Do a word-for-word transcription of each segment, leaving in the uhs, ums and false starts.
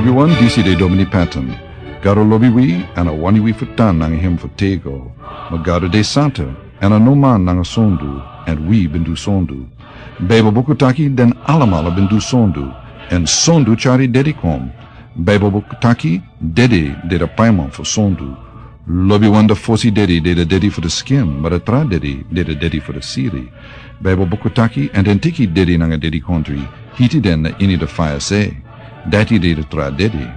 Wi wan disi de Domini Patton. Gado lobi wi, èn a wani wi fu tan nanga hem fu tego. Ma Gado de santa, èn a no man nanga sondu, èn wi ben du sondu. Baibel buku taki den alamala ben du sondu, èn sondu tyari dedi kon. Baibel buku taki dedi de da paiman fu sondu. Lobiwan da fosi dedi de da dedi fu da skin, ma da tra dedi de da dedi fu da siri. Baibel buku taki, èn den teki dedi nanga dedikontri, hiti den na ini da faya se. Dati de da tra dedi.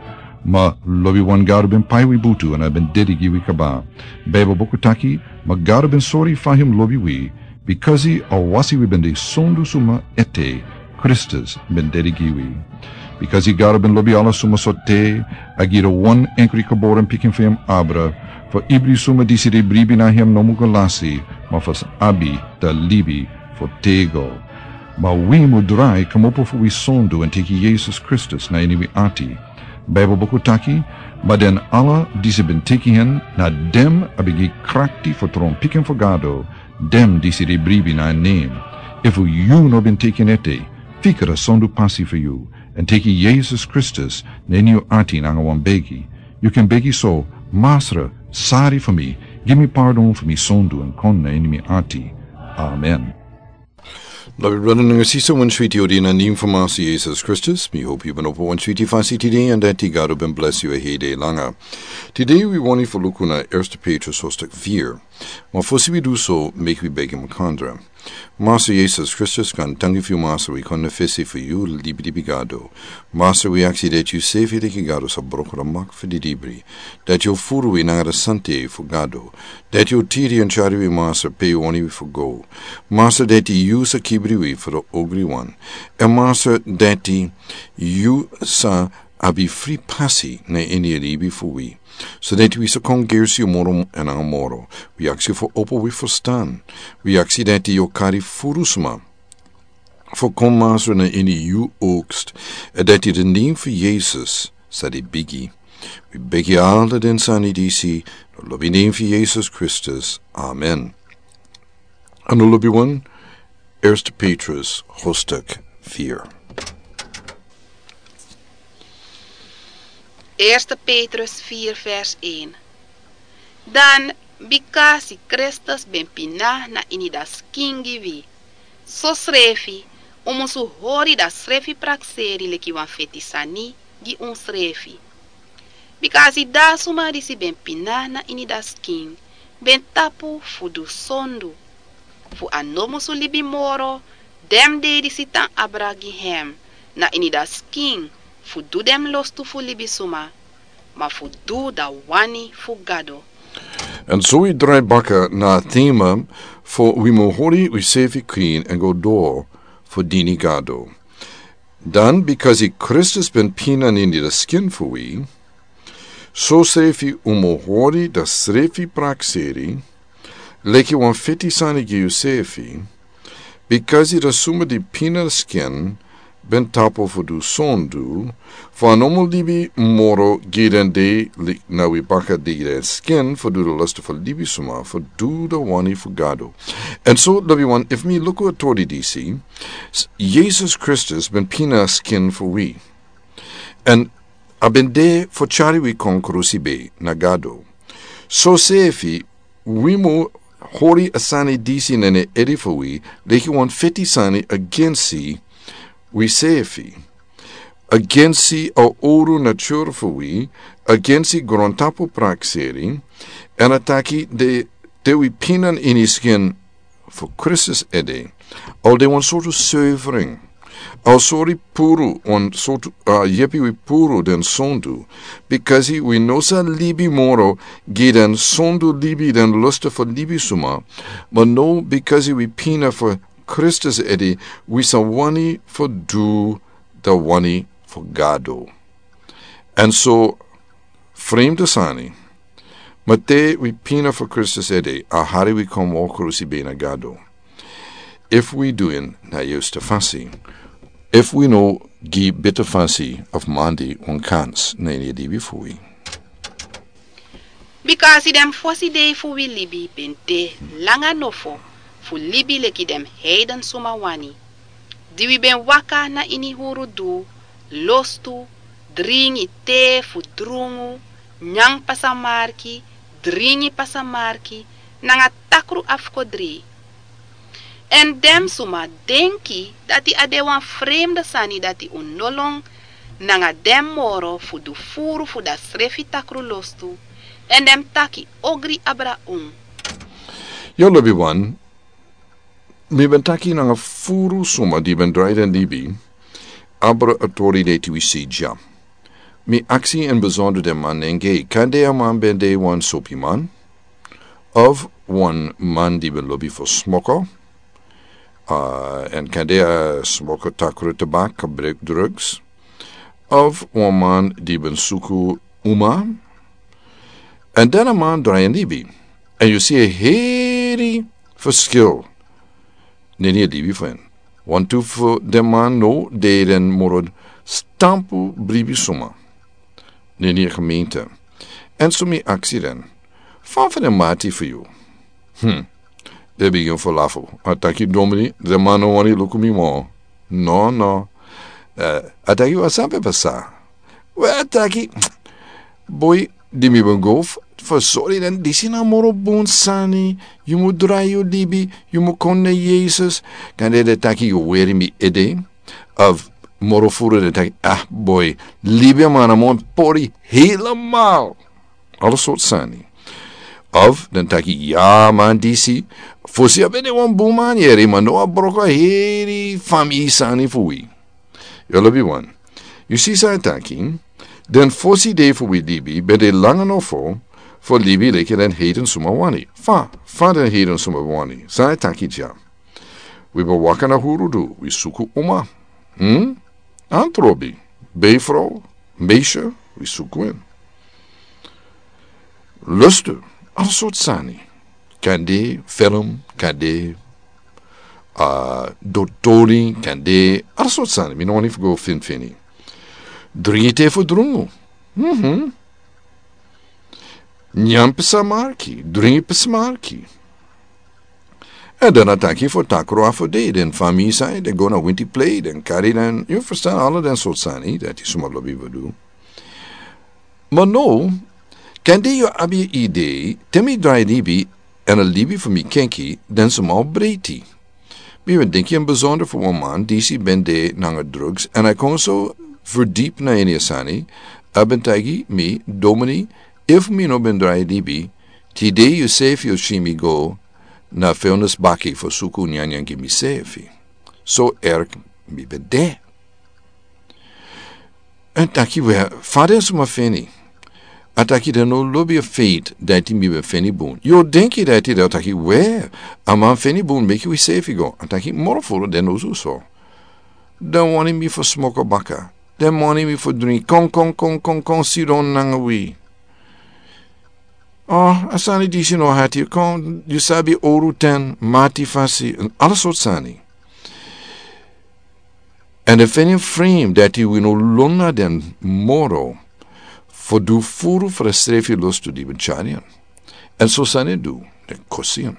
Ma lobiwan Gado ben pai wi butu èn a ben dedi gi wi kaba. Baibel buku taki, ma Gado ben sori fa hem lobi wi, bikasi a wasi wi ben de sondu suma ete, Kristus ben dedi gi wi. Bikasi Gado ben lobi ala suma so te, a gi da wan enkri geboren pikin fu hem abra, fu ibri suma disi de bribi na hem no mu go lasi, ma fu abi da libi fu tego. Ma wi mu drai kmopo fu wi sondu èn teki Yesus Kristus na ini wi ati. Baibel buku taki, ma den ala disi ben teki hen, na dem a ben gi krakti fu tron pikin fu Gado, dem disi de bribi na en nen. Efu yu no ben teki en ete, fika da sondu pasi fu yu, èn teki Yesus Kristus na ini yu ati nanga wan begi. Yu kan begi so, Masra, sari fu mi, gi mi pardon fu mi sondu èn kon na ini mi ati. Amen. Lobi brada nanga sisa, wan switi odi na nen fu Masra Yesus Kristus. Mi hopi yu ben opo wan switi fasi tide, èn dati Gado ben blesi yu a hei dei langa. Tide wi wani fu luku na Erste Petrus hostak firi. Ma fosi wi du so, meki wi begi makandra. Masra Yesus Kristus, kan tangi fu yu Masra, wi kon na fesi fu yu libi libi Gado. Masra, wi aksi dati yu sefi leki Gado sa broko da mak fu di dibri. Dati yu furu wi nanga da sante fu Gado. Dati yu tiri èn tyari wi Masra pe yu wani wi fu go. Masra, dati yu sa kibri wi fu da ogriwan. Èn Masra, dati yu sa abi fri pasi na ini a libi fu wi. So dati wi sa kon gersi yu moro èn nanga moro. Wi aksi fu opo wi ferstan. Wi aksi dati yu kari furu suma fu kon Masra na ini yu okst. Èn dati den nen fu Yesus sa de bigi. Wi begi ala den sani disi, na lobi nen fu Yesus Kristus. Amen. Anu lobiwan, Erste Petrus hostak firi. Erste Petrus firi vers een. Dan, bikasi Kristus ben pina na ini da skin gi wi, sosrefi un musu hori da srefi prakseri leki wan feti sani gi unsrefi. Bikasi da suma disi ben pina na ini da skin ben tapu fu du sondu, fu a no musu libi moro den dei disi tan abra gi hem na ini da skin, fu du den lostu fu libisuma, ma fu du da wani fu Gado. Èn so wi drai baka na a tema fu wi mu hori wi sefi krin èn go doro fu dini Gado. Dan, bikasi Kristus ben pina na ini da skin fu wi, sosrefi un mu hori da srefi prakseri leki wan feti sani gi yusefi, bikasi da suma di pina skin ben tapu fu du sondu, fu a no mu libi moro gi den dei, na wi baka di den skin fu du da lostu fu libisuma, fu du da wani fu Gado. Èn so, lobiwan, efu mi luku a tori disi, Yesus Kristus ben pina skin fu wi. Èn a ben de fu tyari wi kon krusi bei na Gado. Sosefi wi mu hori a sani disi na ini ede fu wi, leki wan feti sani agensi wisefi, agensi a owru natura fu wi, agensi grontapu prakseri, èn a taki de, de wi pina na ini skin fu Kristus ede. A o de wan sortu severing. A o sori puru, wan sortu, a, yepi wi puru den sondu. Bikasi wi no sa libi moro gi den sondu libi, den lostu fu libisuma. Ma now, bikasi wi pina fu Kristus ede, wi sa wani fu du da wani fu Gado. Èn so, fremde sani, ma te wi pina fu Kristus ede, a hari wi kon moro krusi bei na Gado. Efu wi du en na a yusta fasi, efu wi no gi bita fasi of mandi wan kans na ini a libi fu wi. Bikasi den fosi dei fu wi libi ben de langa nofo fu libi leki den heidensuma wani. Di wi ben waka na ini huru du, lostu, dringi tee fu drungu, nyan pasamarki, dringi pasamarki, nanga takru afkodrei. Èn den suma denki dati a de wan fremde sani dati un no lon nanga den moro fu du furu fu dati srefi takru lostu, èn den mus taki ogri abra un. Yu lobi wan, mi ben taki nanga furu suma di ben drai den libi abra a tori dei tu wi si dya. Mi aksi en besonder den man nenge, kande a man ben de wan sopiman, of wan man di ben lobi fu smoko, uh, èn kande a smoko takru tabak, a brek drugs, of wan man di ben suku uma, èn den a man drai en libi. Èn yu si a heri verschil neni a libi fu en. Wantu fu den man no de den moro stampu bribi suma neni a gemeente. Èn so mi aksi den, fan fu den mati fu yu? Hmm. Den bigin fu lafu. A taki domini, den man no wani luku mi mo. No, no. Eh, a taki wan san pe pasa. We a taki, boi, di mi ben go fu sori den, disi na moro bun sani, yu mu drai yu libi, yu mu kon na Yesus. Kande den taki yu weri mi ede. Of moro furu den taki, ah boi, libi a man a mo pori helemaal. Ala sortu sani. Of den taki, ya man disi, fosi a ben de wan bun man yere, ma no a broko a heri famii sani fu wi. Yu lobi wan. Yu si san a taki, den fosi dei fu wi libi ben de langa nofo fu libi leki den heiden suma wani. Fa, fa den heiden suma wani. San a taki dya. Wi ben waka na huru du, wi suku uma. Hmm? Antrobi, beifrow, meisje, wi suku en. Lustu, ala sortu sani. Kande, film, kande, uh, dotori, kande, ala sortu sani. Mi no wani fu go finfini. Dringi tee fu drungu. Mhm. Nyan pesamarki, dringi pesamarki. Èn den a taki fu takru a fu dei, den famii san den go na winti plei, den kari den, yu ferstan, ala den sortu sani dati suma lobi fu du. Ma no, kande yu abi idei, te mi drai libi, èn a libi fu mi kenki, den suma o breiti. Mi ben denki en besonder fu wan man disi ben de nanga drugs, èn a kon so verdiep na ini a sani, a ben taigi mi, domini, efu mi no ben drai libi, tide yu sefi o si mi go na vuilnisbaki fu suku nyanyan gi mi sefi. So erg mi ben de. Èn taki we, fa den suma feni. A taki den no lobi a feit dati mi ben feni bun. Yu o denki dati den o taki we, a man feni bun meki wi sefi go. A taki moro furu den no du so. Den wani mi fu smoko baka. Den wani mi fu dringi. Kon, kon, kon, kon, kon, sidon nanga wi. Oh, a sani disi no hati. Kon, yu sabi oru ten, mati fasi, èn ala sortu sani. Èn den feni en frem dati wi no lon na den moro fu du furu fu a srefi lostu di ben tyari en. Èn so sani du, den kosi en.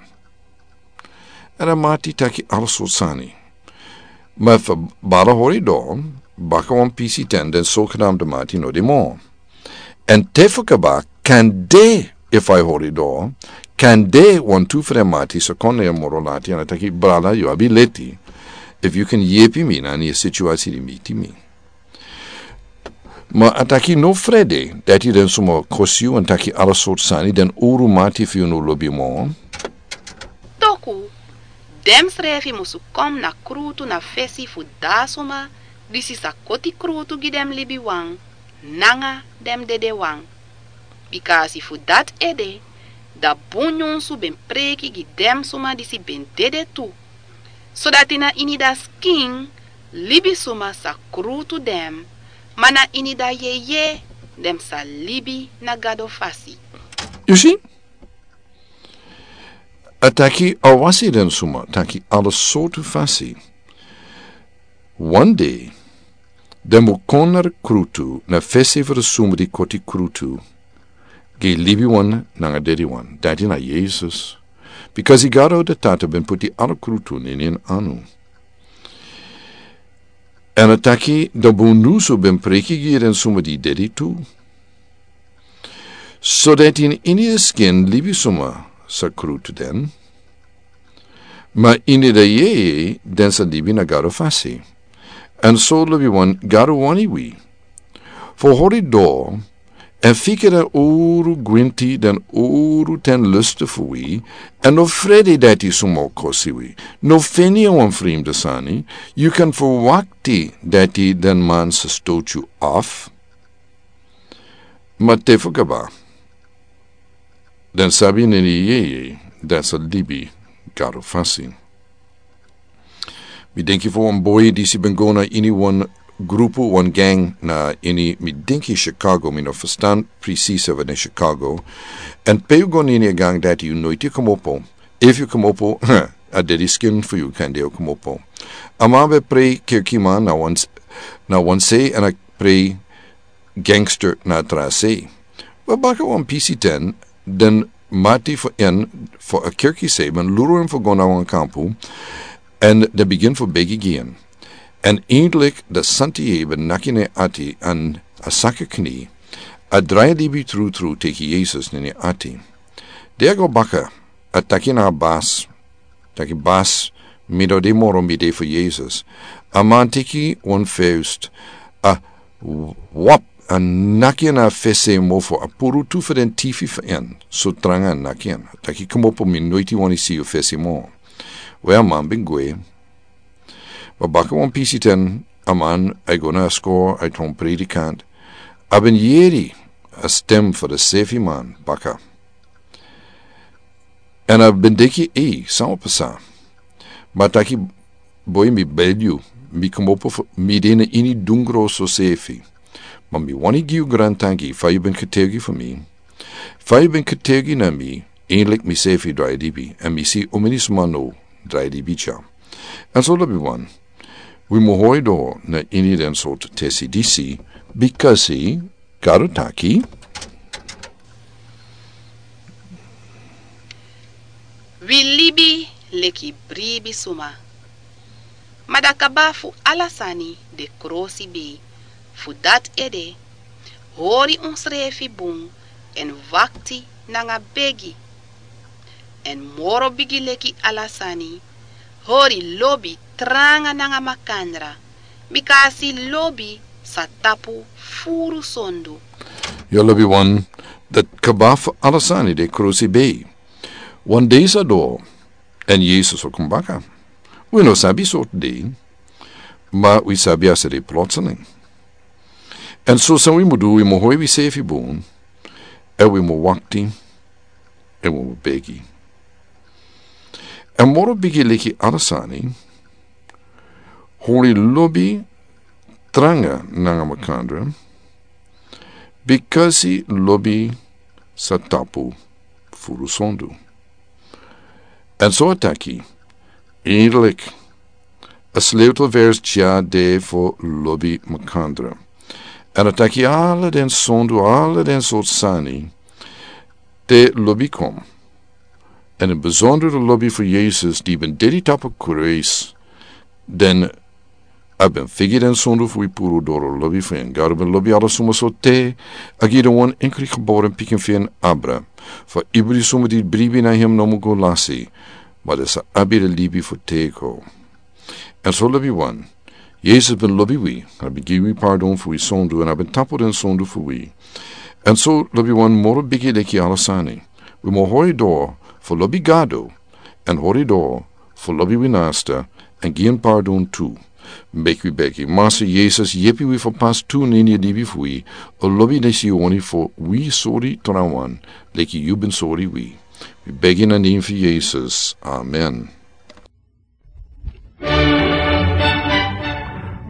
Èn a mati taki ala sortu sani. Ma efu a bala hori doro, baka wan pisi ten den so knapu den mati no de mo. Èn te fu kaba, kande efu a e hori doro, kande wantu fu den mati sa kon na yu moro lati èn a taki brada yu abi leti. Efu yu kan yepi mi na ini a situasi di miti mi. Ma a taki no frede, dati den suma kosi yu èn taki ala sortu sani, den uru mati fu yu no lobi mo. Toku, den srefi musu kon na krutu na fesi fu a suma disi sa koti krutu gi den libiwan nanga den dedewan. Bikasi fu dati ede, a bun nyunsu ben preki gi den suma disi ben dede tu. Sodati na ini a skin, libisuma sa krutu den, ma na ini a yeye, den sa libi na Gado fasi. Yu si? A taki a wasi den suma, taki ala sortu fasi. Wan dei, den mu kon na krutu, na fesi fu a suma di koti krutu, gi libiwan nanga dediwan, dati na Yesus. Bikasi Gado den Tata ben puti ala krutu na ini en anu. Èn a taki, dan bundusu ben preki gi den suma di dedi tu. So dati ini den skin libisma sa krutu den. Ma ini den yeye den sa libi na Gado fasi. Èn so lobiwan, Gado wani wi fu hori doro èn fika den uru gwinti, den uru ten lustu fu wi, èn no frede dati suma o kosi wi. No feni a wan frimdu sani, yu kan ferwakti dati den man sa stoti yu afu. Ma te fu kaba, den sabi neni yeye den sa libi Gado fasi. Mi denki fu wan boi disi ben go na ini wan grupu, wan gang na ini, mi denki Chicago, mi no ferstan presis fu den Chicago. Èn pe yu go na ini a gang dati yu noiti kmopo. Efu yu kmopo, a dedi skin fu yu kande yu kmopo. A man ben prei kerkiman na wan, na wan se èn a prei gangster na tra se. We baka wan pisi ten, den mati fu en fu a kerki se ben luru en fu go na wan kampu, èn den bigin fu begi gi en. Èn eindelijk den santi yeye ben naki na en ati èn a saka kni, a drai libi trutru teki Yesus na en ati. Den a go baka, a taki na a bas, taki bas, mi no de moro, mi de fu Yesus. A man teki wan fest, a wap, a naki en na fesi mofo, a puru tu fu den tifi fu en, so tranga a naki en. A taki kmopo, mi noiti wani si yu fesi mo. We a man ben gwe. Ma baka wan pisi ten, a man a go na a skor, a tron predikant. A ben yeri a stem fu den sefi man baka. Èn a ben denki, ei, san o pasa? Ma a taki, boi, mi begi yu, mi kmopo fu, mi de na ini dungro so sefi. Ma mi wani gi yu grantanki fa yu ben ketegi fu mi. Fa yu ben ketegi na mi, eindelijk mi sefi drai libi, èn mi si omeni sma no drai libi dya. Èn so lobiwan, wi mu hori doro na ini den sortu tesi disi, bikasi Gado taki. Wi libi leki bribi suma. Ma dan kaba fu ala sani de krosi bei. Fu dati ede, hori unsrefi bun èn wakti nanga begi. Èn moro bigi leki ala sani, hori lobi tranga nanga makandra, bikasi lobi sa tapu furu sondu. Yu lobiwan, dan kaba fu ala sani de krosi bei. Wan dei sa doro, èn Yesus o kon baka. Wi no sabi sortu dei, ma wi sabi a sa de plotseling. Èn so san wi mu du, wi mu hori wisefi bun, èn wi mu wakti, èn wi mu begi. Èn moro bigi leki ala sani, hori lobi tranga nanga makandra, bikasi lobi sa tapu furu sondu. Èn so a taki, eindelijk, a sleutelvers dya de fu lobi makandra. Èn a taki ala den sondu, ala den sortu sani, te lobi kon. Èn in bijzonder de lobi fu Yesus di ben dede tapu kruis, dan a ben figi den sondu fu wi puru doro lobi fu en. Gado ben lobi ala suma so te a gi den wan enkri geboren pikin fu en abra, fu ibri suma di bribi na hem no mu go lasi, ma den sa abi den libi fu têko. Èn so lobiwan, Yesus ben lobi wi, a ben gi wi pardon fu wi sondu, èn a ben tapu den sondu fu wi. Èn so lobiwan, moro bigi leki ala sani, wi mu hori doro fu lobi Gado, èn hori doro fu lobi wi nasta, èn gi en pardon tu. Meki wi begi. Masa Yesus, yepi wi fu pasi tu na ini a libi fu wi a lobi disi yu wani fu wi sori trawan leki yu ben sori wi. Wi begi na nen fu Yesus. Amen.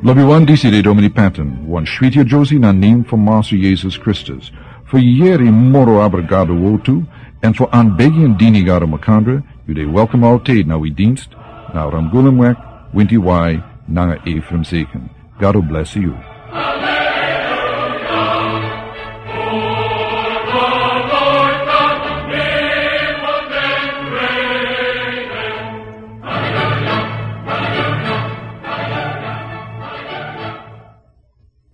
Lobiwan, disi de Domini Patton, wan switi a Josie na nen fu Masa Yesus Kristus. Fu yeri moro abra Gado wortu, èn fu anbegi èn dini Gado makandra, yu de welkom altijd na wi dienst, na Ramgulumweg, winti wai, nanga Ephraim Zeken. Gado blesi yu.